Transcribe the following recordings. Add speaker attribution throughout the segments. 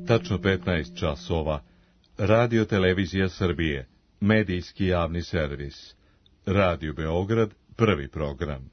Speaker 1: tačno 15 časova, Radio Televizija Srbije, medijski javni servis, Radio Beograd, prvi program.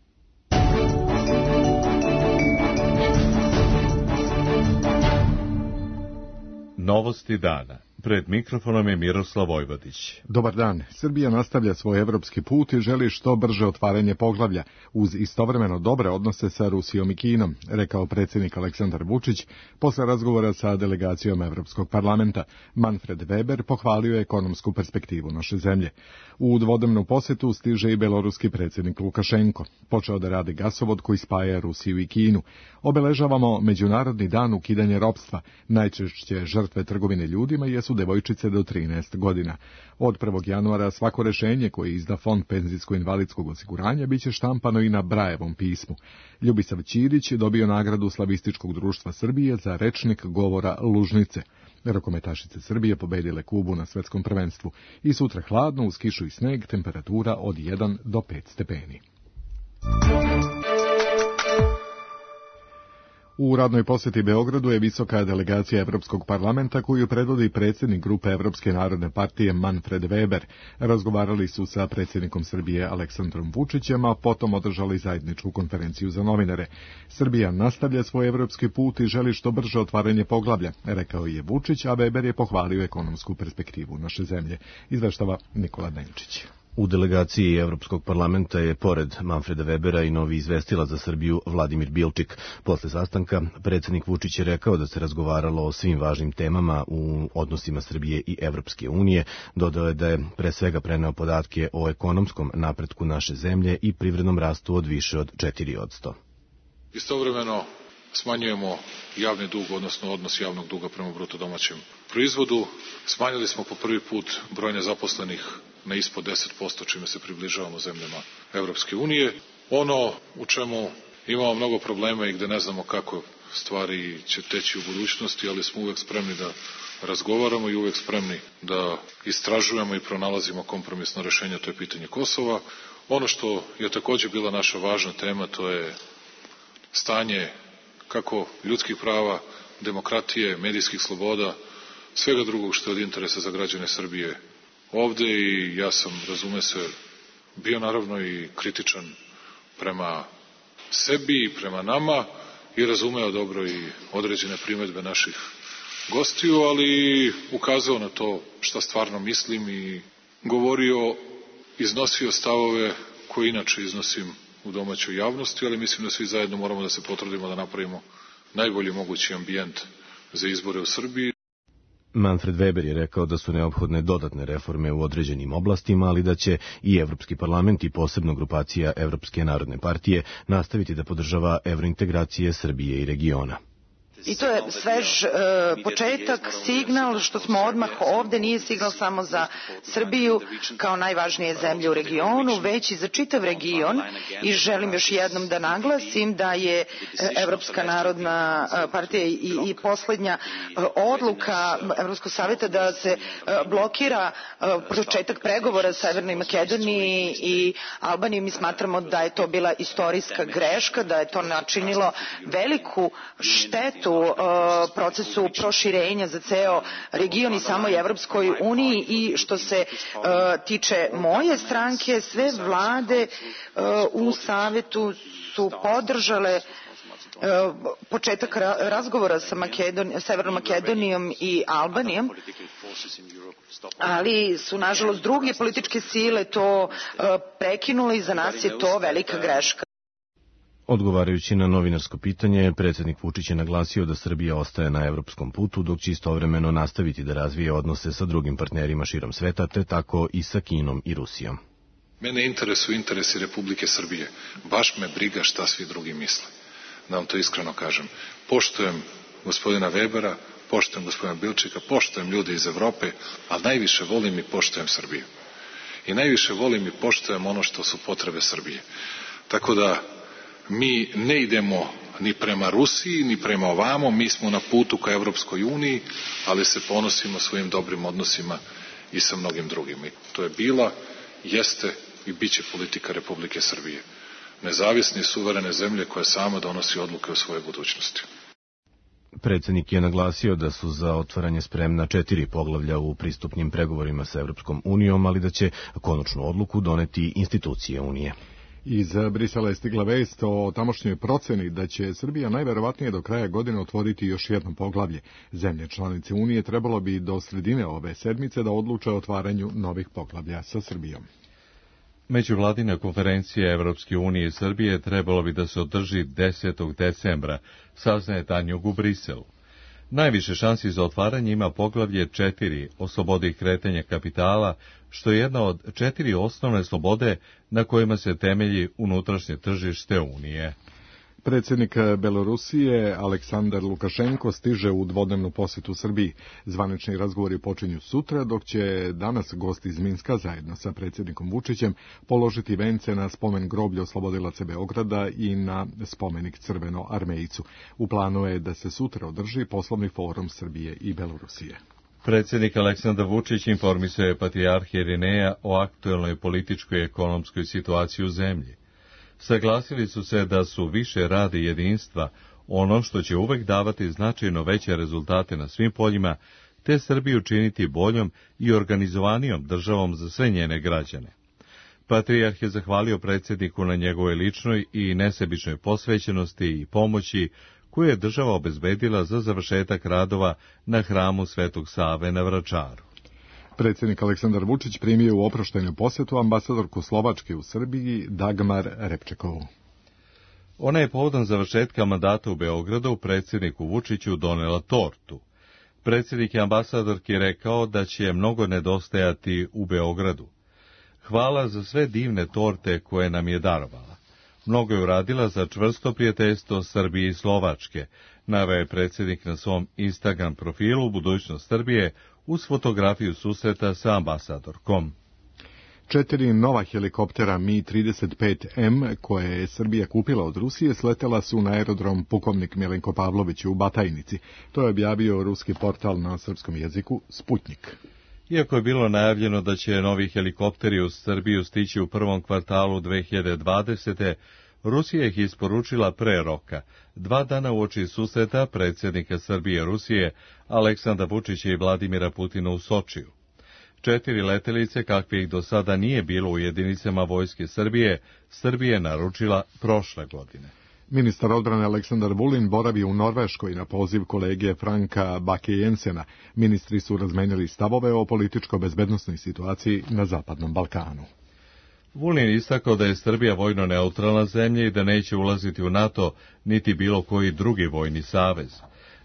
Speaker 1: Novosti dana. Pred mikrofonom je Miroslav Vojvodić.
Speaker 2: Dobar dan. Srbija nastavlja svoj evropski put i želi što brže otvaranje poglavlja, uz istovremeno dobre odnose sa Rusijom i Kinom, rekao predsjednik Aleksandar Vučić posle razgovora sa delegacijom Evropskog parlamenta. Manfred Weber pohvalio je ekonomsku perspektivu naše zemlje. U dvodnevnu posetu stiže i beloruski predsjednik Lukašenko. Počeo da radi gasovod koji spaja Rusiju i Kinu. Obeležavamo Međunarodni dan ukidanja ropstva. Najčešće žrtve trgovine ljudima jesu devojčice do 13 godina. Od 1. januara svako rešenje koje izda Fond penzijsko-invalidskog osiguranja biće štampano i na Brajevom pismu. Ljubisav Ćirić dobio nagradu Slavističkog društva Srbije za rečnik govora Lužnice. Rukometašice Srbije pobedile Kubu na svetskom prvenstvu i sutra hladno uz kišu i sneg, temperatura od 1 do 5 stepeni. U radnoj posjeti Beogradu je visoka delegacija Evropskog parlamenta koju predvodi predsjednik grupe Evropske narodne partije Manfred Weber. Razgovarali su sa predsjednikom Srbije Aleksandrom Vučićem, a potom održali zajedničku konferenciju za novinare. Srbija nastavlja svoj evropski put i želi što brže otvaranje poglavlja, rekao je Vučić, a Weber je pohvalio ekonomsku perspektivu naše zemlje. Izveštava Nikola Denčić.
Speaker 3: U delegaciji Evropskog parlamenta je pored Manfreda Webera i novi izvestilac za Srbiju Vladimir Bilčik. Posle sastanka predsjednik Vučić je rekao da se razgovaralo o svim važnim temama u odnosima Srbije i Evropske unije. Dodao je da je pre svega preneo podatke o ekonomskom napretku naše zemlje i privrednom rastu od više od 4%.
Speaker 4: Istovremeno smanjujemo javni dug, odnosno odnos javnog duga prema bruto domaćem proizvodu. Smanjili smo po prvi put broj nezaposlenih na ispod 10%, čime se približavamo zemljama Evropske unije. Ono u čemu imamo mnogo problema i gde ne znamo kako stvari će teći u budućnosti, ali smo uvek spremni da razgovaramo i uvek spremni da istražujemo i pronalazimo kompromisno rešenje, to je pitanje Kosova. Ono što je takođe bila naša važna tema, to je stanje kako ljudskih prava, demokratije, medijskih sloboda, svega drugog što je od interesa za građane Srbije ovde, i ja sam, razume se, bio naravno i kritičan prema sebi i prema nama i razumeo dobro i određene primedbe naših gostiju, ali ukazao na to šta stvarno mislim i govorio, iznosio stavove koje inače iznosim u domaćoj javnosti, ali mislim da svi zajedno moramo da se potrudimo da napravimo najbolji mogući ambijent za izbore u Srbiji.
Speaker 3: Manfred Weber je rekao da su neophodne dodatne reforme u određenim oblastima, ali da će i Evropski parlament i posebno grupacija Evropske narodne partije nastaviti da podržava evrointegracije Srbije i regiona.
Speaker 5: I to je svež početak, signal što smo odmah ovde, nije signal samo za Srbiju kao najvažnije zemlje u regionu, već i za čitav region, i želim još jednom da naglasim da je Evropska narodna partija i poslednja odluka Evropskog saveta da se blokira početak pregovora sa Severnoj Makedoniji i Albanijom. Mi smatramo da je to bila istorijska greška, da je to načinilo veliku štetu procesu proširenja za ceo region i samoj Evropskoj uniji. I što se tiče moje stranke, sve vlade u Savetu su podržale početak razgovora sa Severnom Makedonijom i Albanijom, ali su nažalost druge političke sile to prekinule i za nas je to velika greška.
Speaker 3: Odgovarajući na novinarsko pitanje, predsjednik Vučić je naglasio da Srbija ostaje na evropskom putu, dok će istovremeno nastaviti da razvije odnose sa drugim partnerima širom sveta, te tako i sa Kinom i Rusijom.
Speaker 4: Mene interesuju interesi Republike Srbije. Baš me briga šta svi drugi misle. Da vam to iskreno kažem. Poštujem gospodina Webera, poštujem gospodina Bilčika, poštujem ljude iz Evrope, ali najviše volim i poštujem Srbiju. I najviše volim i poštujem ono što su potrebe Srbije. Tako da mi ne idemo ni prema Rusiji, ni prema ovamo, mi smo na putu ka Evropskoj uniji, ali se ponosimo svojim dobrim odnosima i sa mnogim drugim. I to je bila, jeste i bit će politika Republike Srbije. Nezavisne i suverene zemlje koja sama donosi odluke o svojoj budućnosti.
Speaker 3: Predsjednik je naglasio da su za otvaranje spremna 4 poglavlja u pristupnim pregovorima sa Evropskom unijom, ali da će konačnu odluku doneti institucije Unije.
Speaker 2: Iz Brisela je stigla vest o tamošnjoj proceni da će Srbija najverovatnije do kraja godine otvoriti još jedno poglavlje. Zemlje članice Unije trebalo bi do sredine ove sedmice da odluče o otvaranju novih poglavlja sa Srbijom.
Speaker 1: Međuvladina konferencija Evropske unije i Srbije trebalo bi da se održi 10. decembra, saznaje Tanjug u Briselu. Najviše šansi za otvaranje ima poglavlje 4 o slobodi kretanja kapitala, što je jedna od 4 osnovne slobode na kojima se temelji unutrašnje tržište Unije.
Speaker 2: Predsjednik Belorusije Aleksandar Lukašenko stiže u dvodnevnu posjetu Srbiji. Zvanični razgovori počinju sutra, dok će danas gost iz Minska zajedno sa predsjednikom Vučićem položiti vence na spomen groblja oslobodilaca Beograda i na spomenik Crvenoarmejcu. U planu je da se sutra održi poslovni forum Srbije i Belorusije.
Speaker 1: Predsjednik Aleksandar Vučić informisuje patrijarha Irineja o aktuelnoj političkoj i ekonomskoj situaciji u zemlji. Saglasili su se da su više rada i jedinstva ono što će uvek davati značajno veće rezultate na svim poljima, te Srbiju činiti boljom i organizovanijom državom za sve njene građane. Patrijarh je zahvalio predsjedniku na njegovoj ličnoj i nesebičnoj posvećenosti i pomoći koju je država obezbedila za završetak radova na hramu Svetog Save na Vračaru.
Speaker 2: Predsjednik Aleksandar Vučić primio u oproštajnu posjetu ambasadorku Slovačke u Srbiji Dagmar Repčekovu.
Speaker 1: Ona je povodom završetka mandata u Beogradu predsjedniku Vučiću donela tortu. Predsjednik je ambasadorki rekao da će mnogo nedostajati u Beogradu. Hvala za sve divne torte koje nam je darovala. Mnogo je uradila za čvrsto prijateljstvo Srbije i Slovačke, naveo je predsjednik na svom Instagram profilu Budućnost Srbije uz fotografiju susreta sa ambasadorkom.
Speaker 2: 4 nova helikoptera Mi-35M, koje je Srbija kupila od Rusije, sletela su na aerodrom Pukovnik Milenko Pavlović u Batajnici. To je objavio ruski portal na srpskom jeziku Sputnik.
Speaker 1: Iako je bilo najavljeno da će novi helikopteri u Srbiju stići u prvom kvartalu 2020. Rusija ih isporučila pre roka, 2 dana uoči susreta predsjednika Srbije i Rusije, Aleksandra Vučića i Vladimira Putina u Sočiju. 4 letelice, kakve ih do sada nije bilo u jedinicama vojske Srbije, Srbija je naručila prošle godine.
Speaker 2: Ministar odbrane Aleksandar Vulin boravi u Norveškoj na poziv kolege Franka Bakke-Jensena. Ministri su razmenili stavove o političko-bezbednosnoj situaciji na Zapadnom Balkanu.
Speaker 1: Vulin istakao da je Srbija vojno neutralna zemlja i da neće ulaziti u NATO niti bilo koji drugi vojni savez.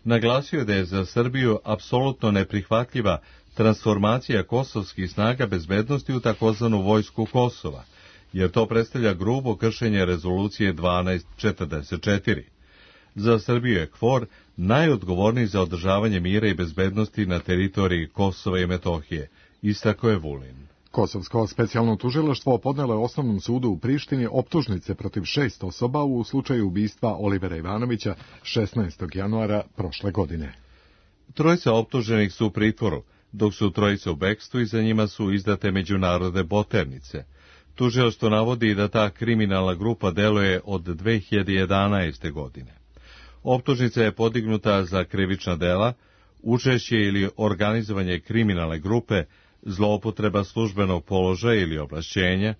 Speaker 1: Naglasio je da je za Srbiju apsolutno neprihvatljiva transformacija kosovskih snaga bezbednosti u takozvanu vojsku Kosova, jer to predstavlja grubo kršenje rezolucije 1244. Za Srbiju je KFOR najodgovorniji za održavanje mira i bezbednosti na teritoriji Kosova i Metohije, istakao je Vulin.
Speaker 2: Kosovsko specijalno tužilaštvo podnelo je Osnovnom sudu u Prištini optužnice protiv 6 osoba u slučaju ubistva Olivera Ivanovića 16. januara prošle godine.
Speaker 1: 3 optuženih su u pritvoru, dok su 3 u bekstvu i za njima su izdate međunarodne poternice. Tužilaštvo navodi da ta kriminalna grupa deluje od 2011. godine. Optužnica je podignuta za krivična dela, učešće ili organizovanje kriminalne grupe, zloupotreba službenog položaja ili ovlašćenja,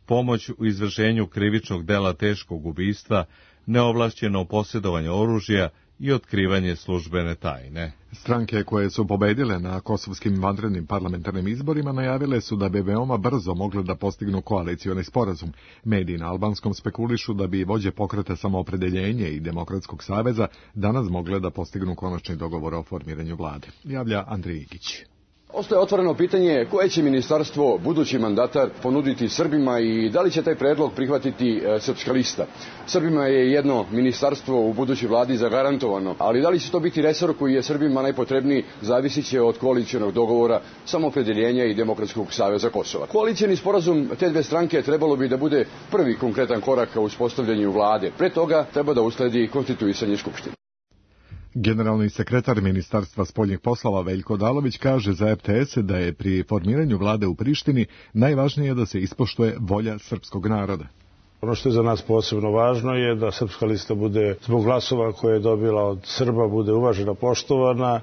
Speaker 1: pomoć u izvršenju krivičnog dela teškog ubistva, neovlašćeno posjedovanje oružja i otkrivanje službene tajne.
Speaker 2: Stranke koje su pobedile na kosovskim vanrednim parlamentarnim izborima najavile su da bi veoma brzo mogle da postignu koalicioni sporazum. Mediji na albanskom spekulišu da bi vođe pokreta Samoopredeljenje i Demokratskog saveza danas mogle da postignu konačni dogovor o formiranju vlade. Javlja Andrej Igić.
Speaker 6: Ostaje otvoreno pitanje koje će ministarstvo budući mandatar ponuditi Srbima i da li će taj predlog prihvatiti Srpska lista. Srbima je jedno ministarstvo u budućoj vladi zagarantovano, ali da li će to biti resor koji je Srbima najpotrebniji zavisit će od koalicionog dogovora Samoopredeljenja i Demokratskog saveza Kosova. Koalicioni sporazum te dve stranke trebalo bi da bude prvi konkretan korak ka uspostavljanju vlade. Pre toga treba da usledi konstituisanje Skupštine.
Speaker 2: Generalni sekretar Ministarstva spoljnih poslova Veljko Odalović kaže za RTS da je pri formiranju vlade u Prištini najvažnije da se ispoštuje volja srpskog naroda.
Speaker 7: Ono što je za nas posebno važno je da Srpska lista bude, zbog glasova koje je dobila od Srba, bude uvažena, poštovana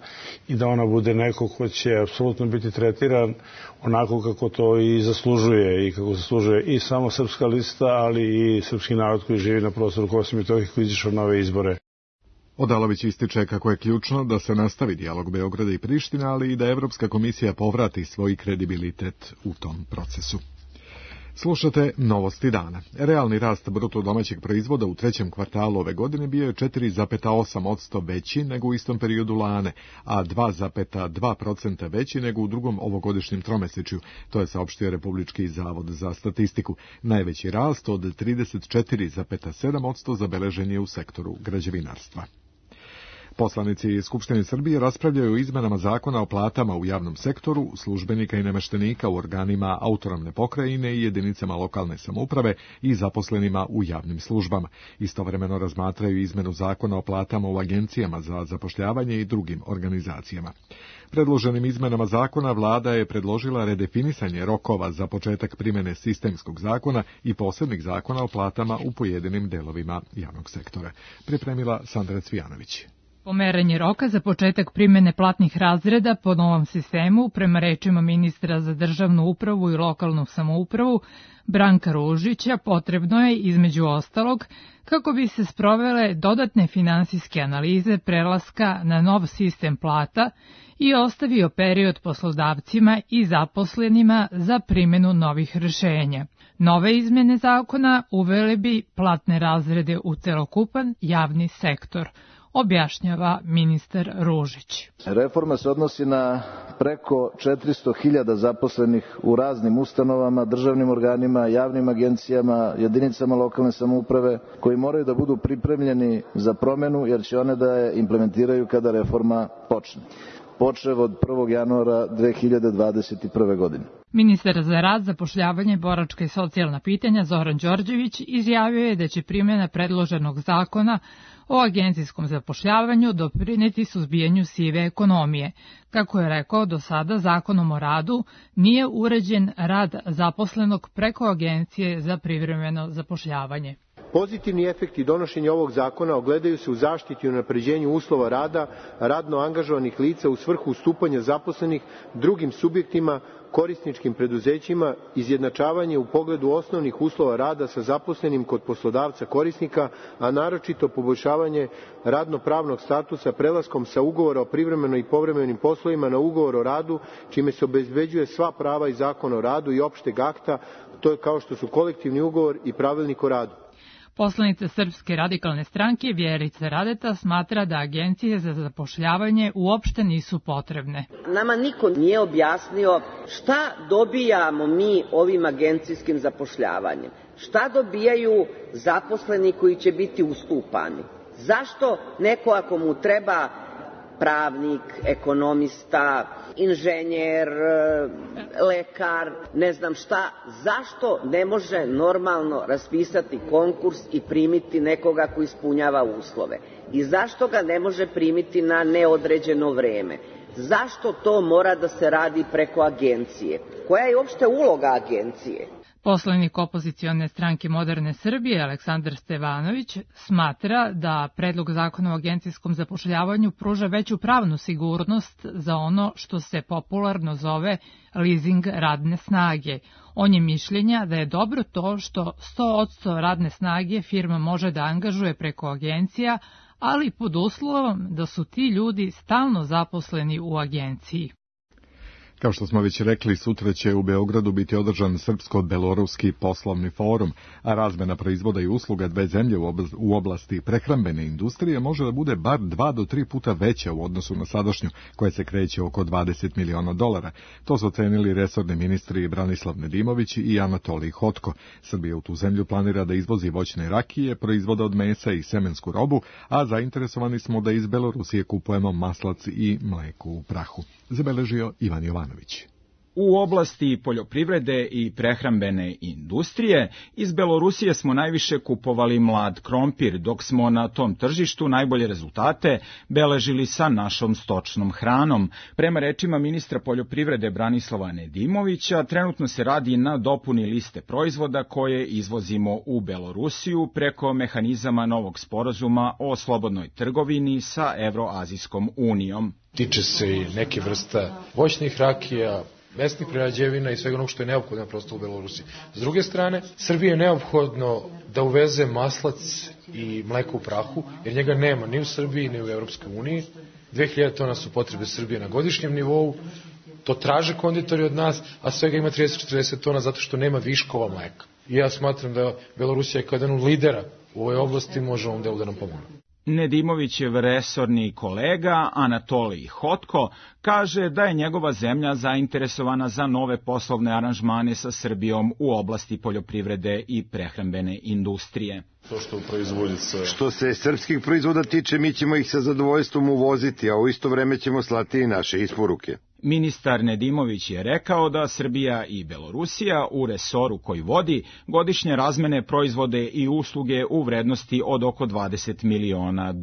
Speaker 7: i da ona bude neko ko će apsolutno biti tretiran onako kako to i zaslužuje i kako zaslužuje i samo Srpska lista, ali i srpski narod koji živi na prostoru Kosova i Metohije koji izišao na ove izbore.
Speaker 2: Odalović ističe kako je ključno da se nastavi dijalog Beograda i Prištine, ali i da Evropska komisija povrati svoj kredibilitet u tom procesu. Slušate Novosti dana. Realni rast bruto domaćeg proizvoda u trećem kvartalu ove godine bio je 4,8% veći nego u istom periodu lane, a 2,2% veći nego u drugom ovogodišnjem tromesečju, to je saopštio Republički zavod za statistiku. Najveći rast od 34,7% zabeležen je u sektoru građevinarstva. Poslanici Skupštine Srbije raspravljaju o izmenama zakona o platama u javnom sektoru, službenika i nameštenika u organima autonomne pokrajine i jedinicama lokalne samouprave i zaposlenima u javnim službama. Istovremeno razmatraju izmenu zakona o platama u agencijama za zapošljavanje i drugim organizacijama. Predloženim izmenama zakona vlada je predložila redefinisanje rokova za početak primjene sistemskog zakona i posebnih zakona o platama u pojedinim delovima javnog sektora. Pripremila Sandra Cvijanović.
Speaker 8: Pomeranje roka za početak primjene platnih razreda po novom sistemu, prema rečima ministra za državnu upravu i lokalnu samoupravu, Branka Ružića, potrebno je, između ostalog, kako bi se sprovele dodatne finansijske analize prelaska na nov sistem plata i ostavio period poslodavcima i zaposlenima za primjenu novih rješenja. Nove izmjene zakona uvele bi platne razrede u celokupan javni sektor, objašnjava ministar Ružić.
Speaker 9: Reforma se odnosi na preko 400.000 zaposlenih u raznim ustanovama, državnim organima, javnim agencijama, jedinicama lokalne samouprave, koji moraju da budu pripremljeni za promjenu jer će one da je implementiraju kada reforma počne. Počev od 1. januara 2021. godine.
Speaker 8: Ministar za rad, zapošljavanje, boračka i socijalna pitanja Zoran Đorđević izjavio je da će primjena predloženog zakona o agencijskom zapošljavanju doprineti suzbijanju sive ekonomije. Kako je rekao, do sada Zakonom o radu nije uređen rad zaposlenog preko agencije za privremeno zapošljavanje.
Speaker 10: Pozitivni efekti donošenja ovog zakona ogledaju se u zaštiti i unapređenju uslova rada radno angažovanih lica u svrhu ustupanja zaposlenih drugim subjektima, korisničkim preduzećima, izjednačavanje u pogledu osnovnih uslova rada sa zaposlenim kod poslodavca korisnika, a naročito poboljšavanje radno-pravnog statusa prelaskom sa ugovora o privremenim i povremenim poslovima na ugovor o radu, čime se obezbeđuje sva prava iz Zakona o radu i opšteg akta, to je kao što su kolektivni ugovor i pravilnik o radu.
Speaker 8: Poslanica Srpske radikalne stranke Vjerica Radeta smatra da agencije za zapošljavanje uopšte nisu potrebne.
Speaker 11: Nama niko nije objasnio šta dobijamo mi ovim agencijskim zapošljavanjem. Šta dobijaju zaposleni koji će biti ustupani? Zašto neko ako mu treba pravnik, ekonomista, inženjer, lekar, ne znam šta, zašto ne može normalno raspisati konkurs i primiti nekoga ko ispunjava uslove? I zašto ga ne može primiti na neodređeno vreme? Zašto to mora da se radi preko agencije? Koja je uopšte uloga agencije?
Speaker 8: Poslanik opozicione stranke Moderne Srbije, Aleksandar Stevanović, smatra da predlog zakona o agencijskom zapošljavanju pruža veću pravnu sigurnost za ono što se popularno zove leasing radne snage. On je mišljenja da je dobro to što 100% radne snage firma može da angažuje preko agencija, ali pod uslovom da su ti ljudi stalno zaposleni u agenciji.
Speaker 2: Kao što smo već rekli, sutra će u Beogradu biti održan Srpsko-beloruski poslovni forum, a razmena proizvoda i usluga dve zemlje u oblasti prehrambene industrije može da bude bar 2 do 3 puta veća u odnosu na sadašnju, koja se kreće oko $20 miliona. To su ocenili resorni ministri Branislav Nedimović i Anatolij Hotko. Srbija u tu zemlju planira da izvozi voćne rakije, proizvode od mesa i semensku robu, a zainteresovani smo da iz Belorusije kupujemo maslac i mleko u prahu. Zabeležio Ivan Jovanović.
Speaker 12: U oblasti poljoprivrede i prehrambene industrije iz Belorusije smo najviše kupovali mlad krompir, dok smo na tom tržištu najbolje rezultate beležili sa našom stočnom hranom. Prema rečima ministra poljoprivrede Branislava Nedimovića, trenutno se radi na dopuni liste proizvoda koje izvozimo u Belorusiju preko mehanizama novog sporazuma o slobodnoj trgovini sa Evroazijskom unijom.
Speaker 13: Tiče se i neke vrsta voćnih rakija, mesnih prerađevina i svega onog što je neophodno prosto u Belorusiji. S druge strane, Srbiji je neophodno da uveze maslac i mleko u prahu, jer njega nema ni u Srbiji, ni u Evropskoj uniji. 2000 tona su potrebe Srbije na godišnjem nivou, to traže konditori od nas, a svega ima 30-40 tona zato što nema viškova mleka. I ja smatram da Belorusija kao jedan od lidera u ovoj oblasti može ovom delu da nam pomogne.
Speaker 12: Nedimovićev resorni kolega Anatolij Hotko kaže da je njegova zemlja zainteresovana za nove poslovne aranžmane sa Srbijom u oblasti poljoprivrede i prehrambene industrije.
Speaker 14: Što se srpskih proizvoda tiče, mi ćemo ih sa zadovoljstvom uvoziti, a u isto vreme ćemo slati i naše isporuke.
Speaker 12: Ministar Nedimović je rekao da Srbija i Belorusija u resoru koji vodi godišnje razmene proizvode i usluge u vrednosti od oko $20 miliona.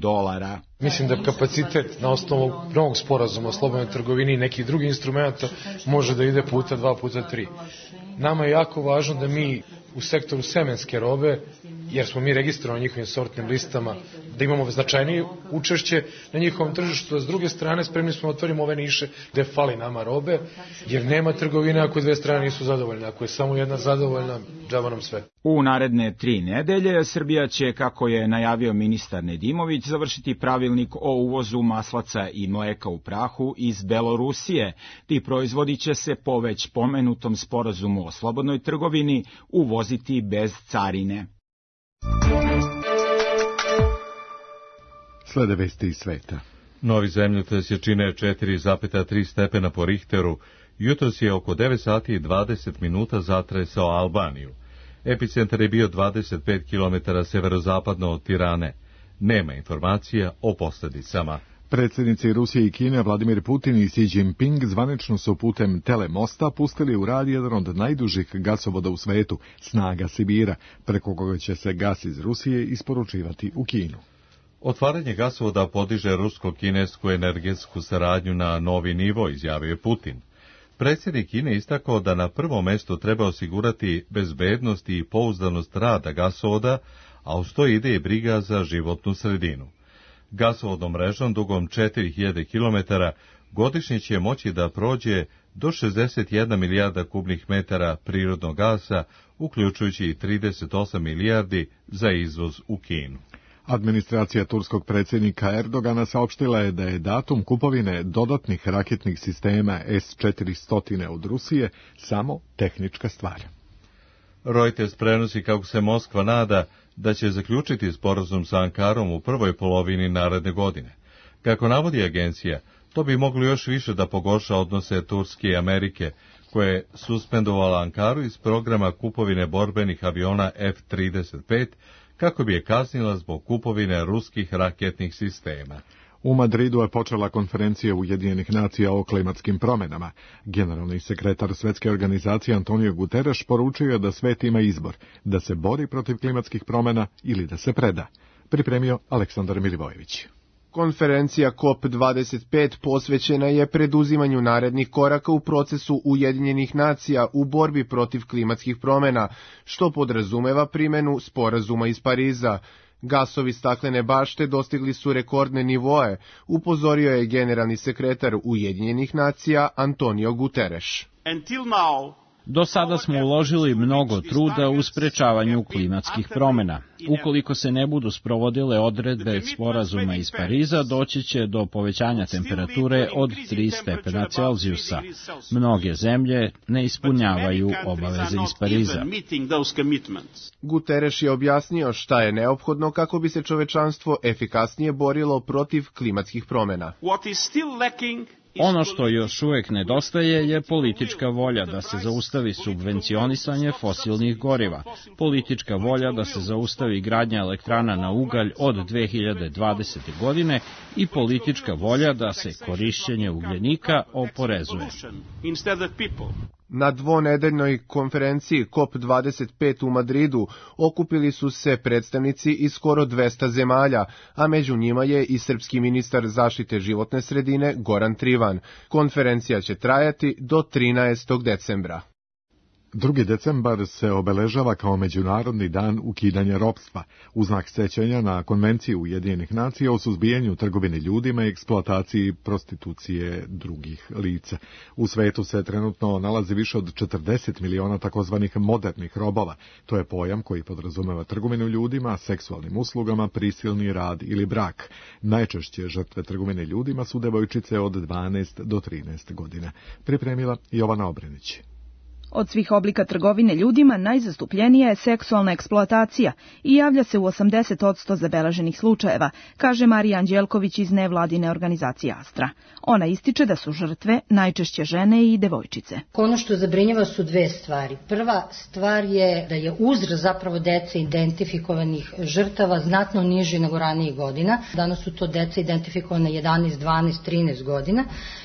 Speaker 13: Mislim da kapacitet na osnovu novog sporazuma o slobodnoj trgovini i nekih drugih instrumenta može da ide puta 2, puta 3. Nama je jako važno da mi u sektoru semenske robe, jer smo mi registrovani na njihovim sortnim listama, da imamo značajnije učešće na njihovom tržištu, a s druge strane spremni smo da otvorimo ove niše gde fali nama robe, jer nema trgovine ako dve strane nisu zadovoljne. Ako je samo jedna zadovoljna, džaba nam sve.
Speaker 12: U naredne 3 nedelje Srbija će, kako je najavio ministar Nedimović, završiti pravilnik o uvozu maslaca i mleka u prahu iz Belorusije. Ti proizvodi će se po već pomenutom sporazumu o slobodnoj trgovini uvoziti bez carine.
Speaker 2: Slede vesti iz sveta.
Speaker 1: Novi zemljotres jačine 4,3 stepena po Richteru jutros je oko 9 sati i 20 minuta zatresao Albaniju. Epicentar je bio 25 km severozapadno od Tirane. Nema informacija o posljedicama.
Speaker 2: Predsjednici Rusije i Kine Vladimir Putin i Xi Jinping zvanično su putem telemosta pustili u rad jedan od najdužih gasovoda u svetu, Snaga Sibira, preko koga će se gas iz Rusije isporučivati u Kinu.
Speaker 1: Otvaranje gasovoda podiže rusko-kinesku energetsku saradnju na novi nivo, izjavio je Putin. Predsjednik Kine istakao da na prvom mjestu treba osigurati bezbednost i pouzdanost rada gasovoda, a uz to ide i briga za životnu sredinu. Gasovodnom mrežom dugom 4000 km godišnje će moći da prođe do 61 milijarda kubnih metara prirodnog gasa, uključujući i 38 milijardi za izvoz u Kinu.
Speaker 2: Administracija turskog predsjednika Erdogana saopštila je da je datum kupovine dodatnih raketnih sistema S-400 od Rusije samo tehnička stvar.
Speaker 1: Reuters prenosi kako se Moskva nada da će zaključiti sporazum sa Ankarom u prvoj polovini naredne godine. Kako navodi agencija, to bi moglo još više da pogorša odnose Turske i Amerike, koje je suspendovala Ankaru iz programa kupovine borbenih aviona F-35, kako bi je kaznila zbog kupovine ruskih raketnih sistema.
Speaker 2: U Madridu je počela konferencija Ujedinjenih nacija o klimatskim promjenama. Generalni sekretar Svjetske organizacije Antonio Guterres poručio je da svet ima izbor, da se bori protiv klimatskih promjena ili da se preda. Pripremio Aleksandar Milivojević.
Speaker 15: Konferencija COP25 posvećena je preduzimanju narednih koraka u procesu Ujedinjenih nacija u borbi protiv klimatskih promjena, što podrazumeva primjenu sporazuma iz Pariza. Gasovi staklene bašte dostigli su rekordne nivoe, upozorio je generalni sekretar Ujedinjenih nacija Antonio Guterres.
Speaker 16: Do sada smo uložili mnogo truda u sprečavanju klimatskih promjena. Ukoliko se ne budu sprovodile odredbe sporazuma iz Pariza, doći će do povećanja temperature od 3 stepena Celzijusa. Mnoge zemlje ne ispunjavaju obaveze iz Pariza.
Speaker 15: Guterres je objasnio šta je neophodno kako bi se čovečanstvo efikasnije borilo protiv klimatskih promjena.
Speaker 16: Ono što još uvijek nedostaje je politička volja da se zaustavi subvencionisanje fosilnih goriva, politička volja da se zaustavi gradnja elektrana na ugalj od 2020. godine i politička volja da se korišćenje ugljenika oporezuje.
Speaker 15: Na dvonedeljnoj konferenciji COP25 u Madridu okupili su se predstavnici iz skoro 200 zemalja, a među njima je i srpski ministar zaštite životne sredine Goran Trivan. Konferencija će trajati do 13. decembra.
Speaker 2: 2. decembar se obeležava kao Međunarodni dan ukidanja ropstva, u znak sećanja na Konvenciju Ujedinjenih nacija o suzbijanju trgovine ljudima i eksploataciji prostitucije drugih lica. U svetu se trenutno nalazi više od 40 miliona takozvanih modernih robova. To je pojam koji podrazumeva trgovinu ljudima, seksualnim uslugama, prisilni rad ili brak. Najčešće žrtve trgovine ljudima su devojčice od 12 do 13 godina. Pripremila Jovana Obrenić.
Speaker 17: Od svih oblika trgovine ljudima najzastupljenija je seksualna eksploatacija i javlja se u 80% zabeleženih slučajeva, kaže Marija Anđelković iz nevladine organizacije Astra. Ona ističe da su žrtve najčešće žene i devojčice.
Speaker 18: Ono što zabrinjava su dve stvari. Prva stvar je da je uzrast zapravo dece identifikovanih žrtava znatno niži nego ranijih godina. Danas su to deca identifikovane 11, 12, 13 godina.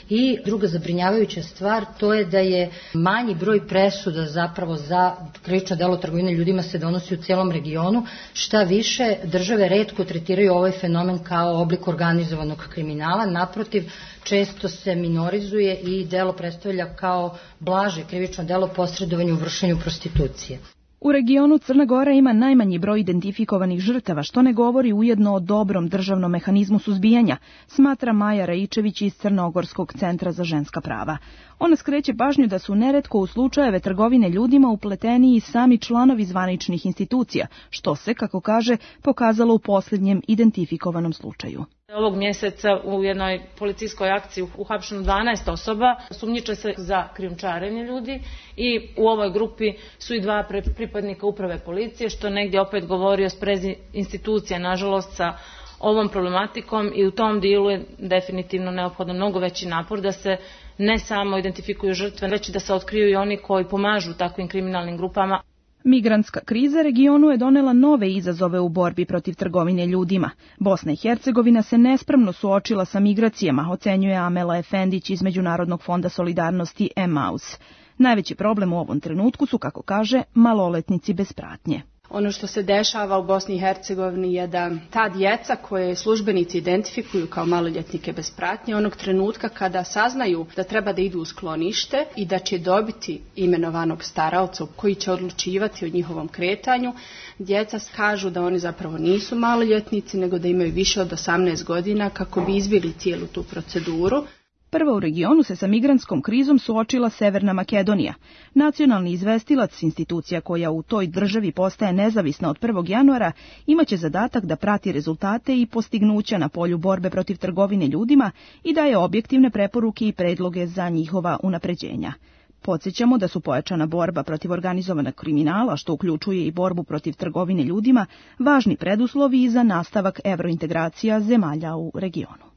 Speaker 18: I druga zabrinjavajuća stvar, to je da je manji broj presuda zapravo za krivično delo trgovine ljudima se donosi u celom regionu. Šta više, države retko tretiraju ovaj fenomen kao oblik organizovanog kriminala. Naprotiv, često se minorizuje i delo predstavlja kao blaže krivično delo posredovanja u vršenju prostitucije.
Speaker 17: U regionu Crna Gora ima najmanji broj identifikovanih žrtava, što ne govori ujedno o dobrom državnom mehanizmu suzbijanja, smatra Maja Raičević iz Crnogorskog centra za ženska prava. Ona skreće pažnju da su neretko u slučajeve trgovine ljudima upleteni i sami članovi zvaničnih institucija, što se, kako kaže, pokazalo u posljednjem identifikovanom slučaju.
Speaker 19: Ovog mjeseca u jednoj policijskoj akciji uhapšeno 12 osoba, sumnjiče se za krijumčarenje ljudi i u ovoj grupi su i 2 pripadnika uprave policije, što negdje opet govori o sprezi institucija, nažalost, sa ovom problematikom i u tom dijelu je definitivno neophodan mnogo veći napor da se ne samo identifikuju žrtve, već da se otkriju i oni koji pomažu takvim kriminalnim grupama.
Speaker 17: Migrantska kriza regionu je donela nove izazove u borbi protiv trgovine ljudima. Bosna i Hercegovina se nespremno suočila sa migracijama, ocenjuje Amela Efendić iz Međunarodnog fonda solidarnosti Emmaus. Najveći problem u ovom trenutku su, kako kaže, maloletnici bez pratnje.
Speaker 20: Ono što se dešava u Bosni i Hercegovini je da ta djeca koje službenici identifikuju kao maloljetnike bez pratnje, onog trenutka kada saznaju da treba da idu u sklonište i da će dobiti imenovanog staraoca koji će odlučivati o njihovom kretanju, djeca kažu da oni zapravo nisu maloljetnici, nego da imaju više od 18 godina kako bi izbjegli cijelu tu proceduru.
Speaker 17: Prva u regionu se sa migrantskom krizom suočila Severna Makedonija. Nacionalni izvestilac, institucija koja u toj državi postaje nezavisna od 1. januara, imaće zadatak da prati rezultate i postignuća na polju borbe protiv trgovine ljudima i daje objektivne preporuke i predloge za njihova unapređenja. Podsjećamo da su pojačana borba protiv organizovanog kriminala, što uključuje i borbu protiv trgovine ljudima, važni preduslovi za nastavak evrointegracija zemalja u regionu.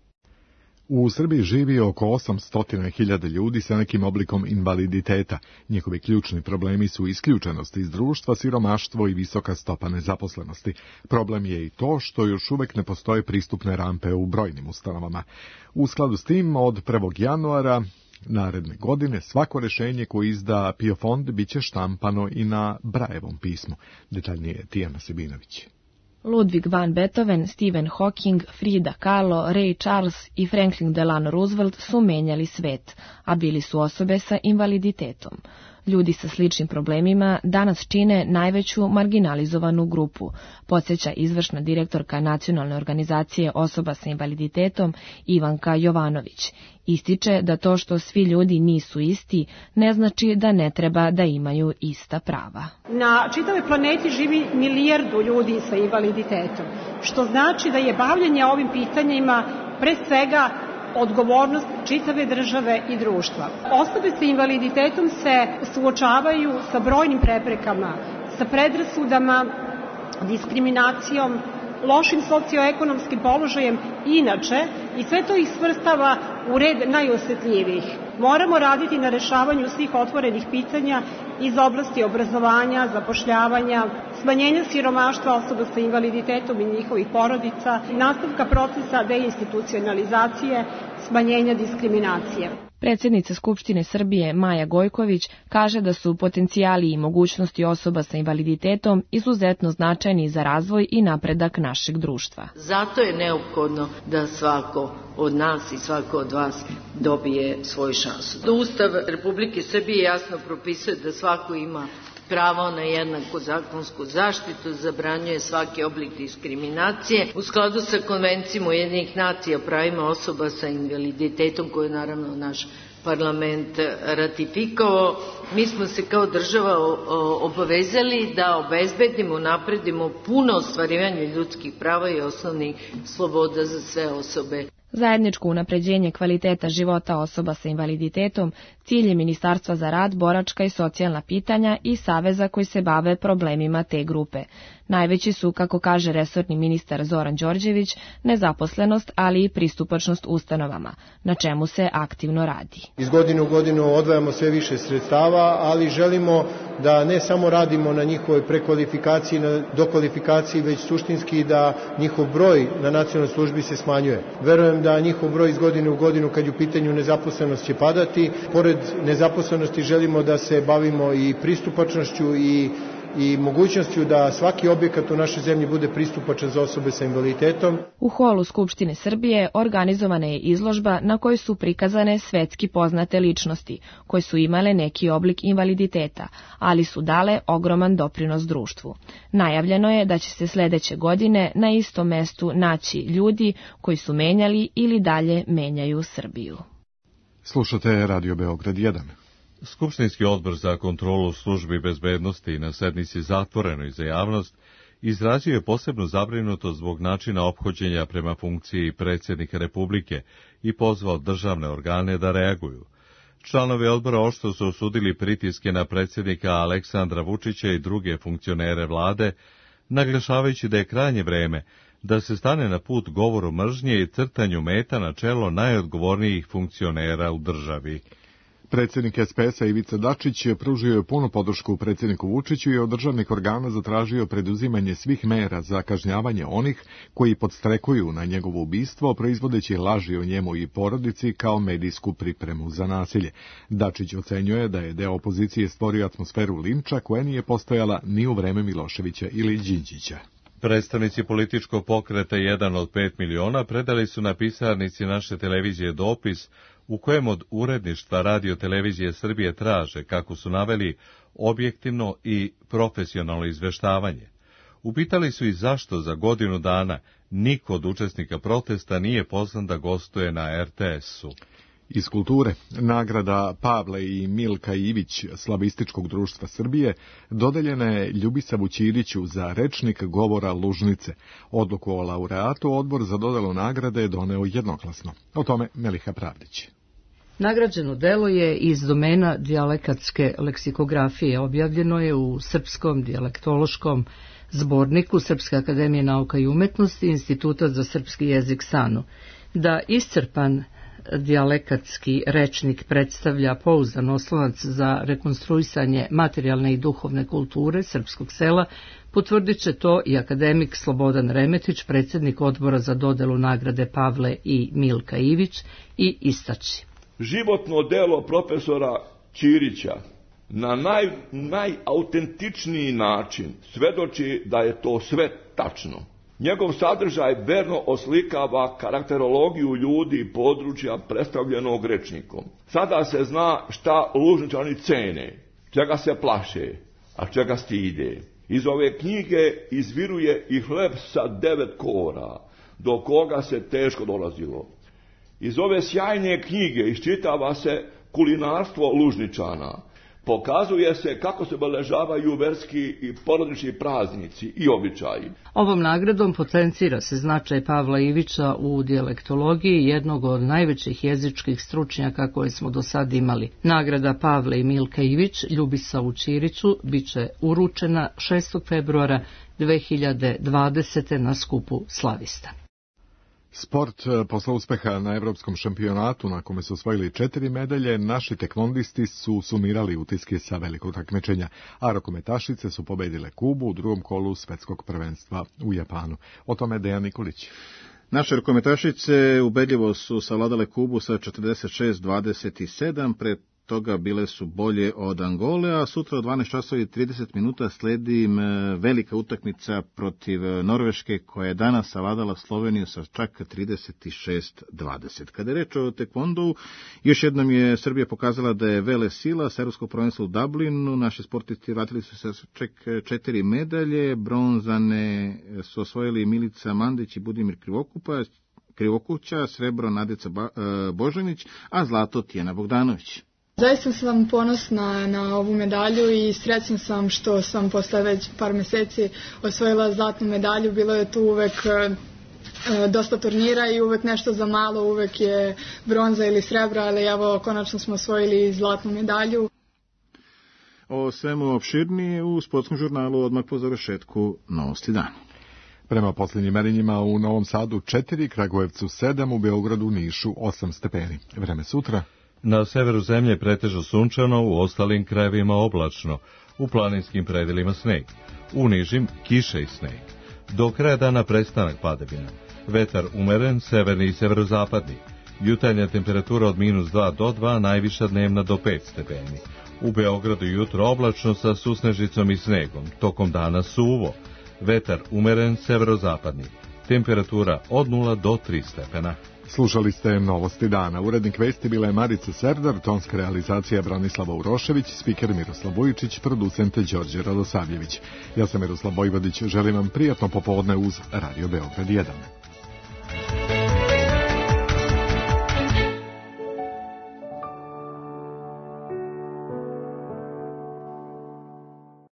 Speaker 2: U Srbiji živi oko 800.000 ljudi sa nekim oblikom invaliditeta. Njihovi ključni problemi su isključenost iz društva, siromaštvo i visoka stopa nezaposlenosti. Problem je i to što još uvek ne postoje pristupne rampe u brojnim ustanovama. U skladu s tim, od 1. januara naredne godine svako rješenje koje izda PIO fond biće štampano i na Brajevom pismu. Detaljnije Tijana Sebinović.
Speaker 21: Ludwig van Beethoven, Stephen Hawking, Frida Kahlo, Ray Charles i Franklin Delano Roosevelt su menjali svet, a bili su osobe sa invaliditetom. Ljudi sa sličnim problemima danas čine najveću marginalizovanu grupu, podsjeća izvršna direktorka Nacionalne organizacije osoba sa invaliditetom Ivanka Jovanović. Ističe da to što svi ljudi nisu isti ne znači da ne treba da imaju ista prava.
Speaker 22: Na čitavoj planeti živi 1 milijardu ljudi sa invaliditetom, što znači da je bavljenje ovim pitanjima pre svega odgovornost čitave države i društva. Osobe sa invaliditetom se suočavaju sa brojnim preprekama, sa predrasudama, diskriminacijom, lošim socioekonomskim položajem inače i sve to ih svrstava u red najosjetljivijih. Moramo raditi na rešavanju svih otvorenih pitanja iz oblasti obrazovanja, zapošljavanja, smanjenja siromaštva osoba sa invaliditetom i njihovih porodica, nastavka procesa deinstitucionalizacije, smanjenja diskriminacije.
Speaker 21: Predsjednica Skupštine Srbije Maja Gojković kaže da su potencijali i mogućnosti osoba sa invaliditetom izuzetno značajni za razvoj i napredak našeg društva.
Speaker 4: Zato je neophodno da svako od nas i svako od vas dobije svoju šansu. Ustav Republike Srbije jasno propisuje da svako ima pravo na jednaku zakonsku zaštitu, zabranjuje svaki oblik diskriminacije u skladu sa Konvencijom Ujedinjenih nacija o pravima osoba sa invaliditetom koju je naravno naš parlament ratifikovao. Mi smo se kao država obavezali da obezbedimo, napredimo puno ostvarivanje ljudskih prava i osnovnih sloboda za sve osobe.
Speaker 21: Zajedničko unapređenje kvaliteta života osoba sa invaliditetom cilj je Ministarstva za rad, boračka i socijalna pitanja i saveza koji se bave problemima te grupe. Najveći su, kako kaže resorni ministar Zoran Đorđević, nezaposlenost, ali i pristupačnost ustanovama, na čemu se aktivno radi.
Speaker 10: Iz godine u godinu odvajamo sve više sredstava, ali želimo da ne samo radimo na njihovoj prekvalifikaciji, na dokvalifikaciji, već suštinski da njihov broj na nacionalnoj službi se smanjuje. Verujem da njihov broj iz godine u godinu, kad je u pitanju nezaposlenost, će padati. Pored nezaposlenosti želimo da se bavimo i pristupačnošću i mogućnošću da svaki objekat u našoj zemlji bude pristupačan za osobe sa invaliditetom.
Speaker 21: U holu Skupštine Srbije organizovana je izložba na kojoj su prikazane svetski poznate ličnosti, koje su imale neki oblik invaliditeta, ali su dale ogroman doprinos društvu. Najavljeno je da će se sledeće godine na istom mestu naći ljudi koji su menjali ili dalje menjaju Srbiju.
Speaker 2: Slušate Radio Beograd 1.
Speaker 1: Skupštinski odbor za kontrolu službi bezbednosti na sednici zatvorenoj za javnost izrazio je posebnu zabrinutost zbog načina ophođenja prema funkciji predsjednika Republike i pozvao državne organe da reaguju. Članovi odbora oštro su osudili pritiske na predsjednika Aleksandra Vučića i druge funkcionere vlade, naglašavajući da je krajnje vreme da se stane na put govoru mržnje i crtanju meta na čelo najodgovornijih funkcionera u državi.
Speaker 2: Predsjednik SPS-a Ivica Dačić pružio je punu podršku predsjedniku Vučiću i od državnih organa zatražio preduzimanje svih mera za kažnjavanje onih koji podstrekuju na njegovo ubistvo, proizvodeći laži o njemu i porodici kao medijsku pripremu za nasilje. Dačić ocenjuje da je deo opozicije stvorio atmosferu linča koja nije postojala ni u vreme Miloševića ili Đinđića.
Speaker 1: Predstavnici političkog pokreta 1 od 5 miliona predali su na pisarnici naše televizije dopis u kojem od uredništva Radio televizije Srbije traže, kako su naveli, objektivno i profesionalno izveštavanje. Upitali su i zašto za godinu dana niko od učesnika protesta nije pozvan da gostuje na RTS-u.
Speaker 2: Iz kulture, nagrada Pavle i Milka Ivić Slavističkog društva Srbije dodeljena je Ljubisavu Ćiriću za rečnik govora Lužnice. Odluku o laureatu odbor za dodelu nagrade je doneo jednoglasno. O tome Meliha Pravdić.
Speaker 5: Nagrađeno delo je iz domena dijalekatske leksikografije. Objavljeno je u Srpskom dijalektološkom zborniku Srpske akademije nauka i umetnosti Instituta za srpski jezik SANU. Da iscrpan dijalekatski rečnik predstavlja pouzdan oslonac za rekonstruisanje materijalne i duhovne kulture srpskog sela, potvrdit će to i akademik Slobodan Remetić, predsjednik odbora za dodelu nagrade Pavle i Milka Ivić, i istaći.
Speaker 23: Životno delo profesora Ćirića na najautentičniji način svedoči da je to sve tačno. Njegov sadržaj verno oslikava karakterologiju ljudi i područja predstavljenog rečnikom. Sada se zna šta Lužničani cene, čega se plaše, a čega stide. Iz ove knjige izviruje i hleb sa 9 kora, do koga se teško dolazilo. Iz ove sjajne knjige iščitava se kulinarstvo Lužničana. Pokazuje se kako se obeležavaju verski i porodični praznici i običaji.
Speaker 5: Ovom nagradom potencira se značaj Pavla Ivića u dijalektologiji, jednog od najvećih jezičkih stručnjaka koje smo do sad imali. Nagrada Pavle i Milka Ivić Ljubisavu Ćiriću biće uručena 6. februara 2020. na skupu slavista.
Speaker 2: Sport. Posle uspeha na evropskom šampionatu, na kome su osvojili 4 medalje, naši tekvondisti su sumirali utiske sa velikog takmičenja, a rukometašice su pobedile Kubu u drugom kolu svetskog prvenstva u Japanu. O tome Dejan Nikolić.
Speaker 3: Naše rukometašice ubedljivo su savladale Kubu sa 46-27, pre toga bile su bolje od Angole, a sutra od 12 časova i 30 minuta sledi velika utakmica protiv Norveške, koja je danas savladala Sloveniju sa čak 36-20. Kada je reč o tekvondou, još jednom je Srbija pokazala da je vele sila. S evropskog prvenstva u Dublinu naši sportisti vratili su se čak 4 medalje, bronzane su osvojili Milica Mandić i Budimir Krivokuća, srebro Nadica Božanić, a zlato Tijana Bogdanović.
Speaker 6: Zaista sam ponosna na ovu medalju i srećna sam što sam posle već par meseci osvojila zlatnu medalju. Bilo je tu uvek dosta turnira i uvek nešto za malo, uvek je bronza ili srebro, ali evo konačno smo osvojili zlatnu medalju.
Speaker 3: O svemu opširnije u sportskom žurnalu odmah po završetku Novosti dana.
Speaker 2: Prema posljednjim merenjima u Novom Sadu 4, Kragujevcu 7, u Beogradu, Nišu 8 stepeni. Vreme sutra.
Speaker 1: Na severu zemlje pretežno sunčano, u ostalim krajevima oblačno, u planinskim predelima sneg, u nižim kiša i sneg. Do kraja dana prestanak padavina. Vetar umeren, severni i severozapadni. Jutarnja temperatura od -2 do 2, najviša dnevna do 5 stepeni. U Beogradu jutro oblačno sa susnežicom i snegom, tokom dana suvo. Vetar umeren, severozapadni. Temperatura od 0 do 3 stepena.
Speaker 2: Slušali ste Novosti dana. Urednik vesti bila je Marica Serdar, tonska realizacija Branislava Urošević, spiker Miroslav Vujičić, producent Đorđe Radosavljević. Ja sam Miroslav Vojvodić, želim vam prijatno popodne uz Radio Beograd 1.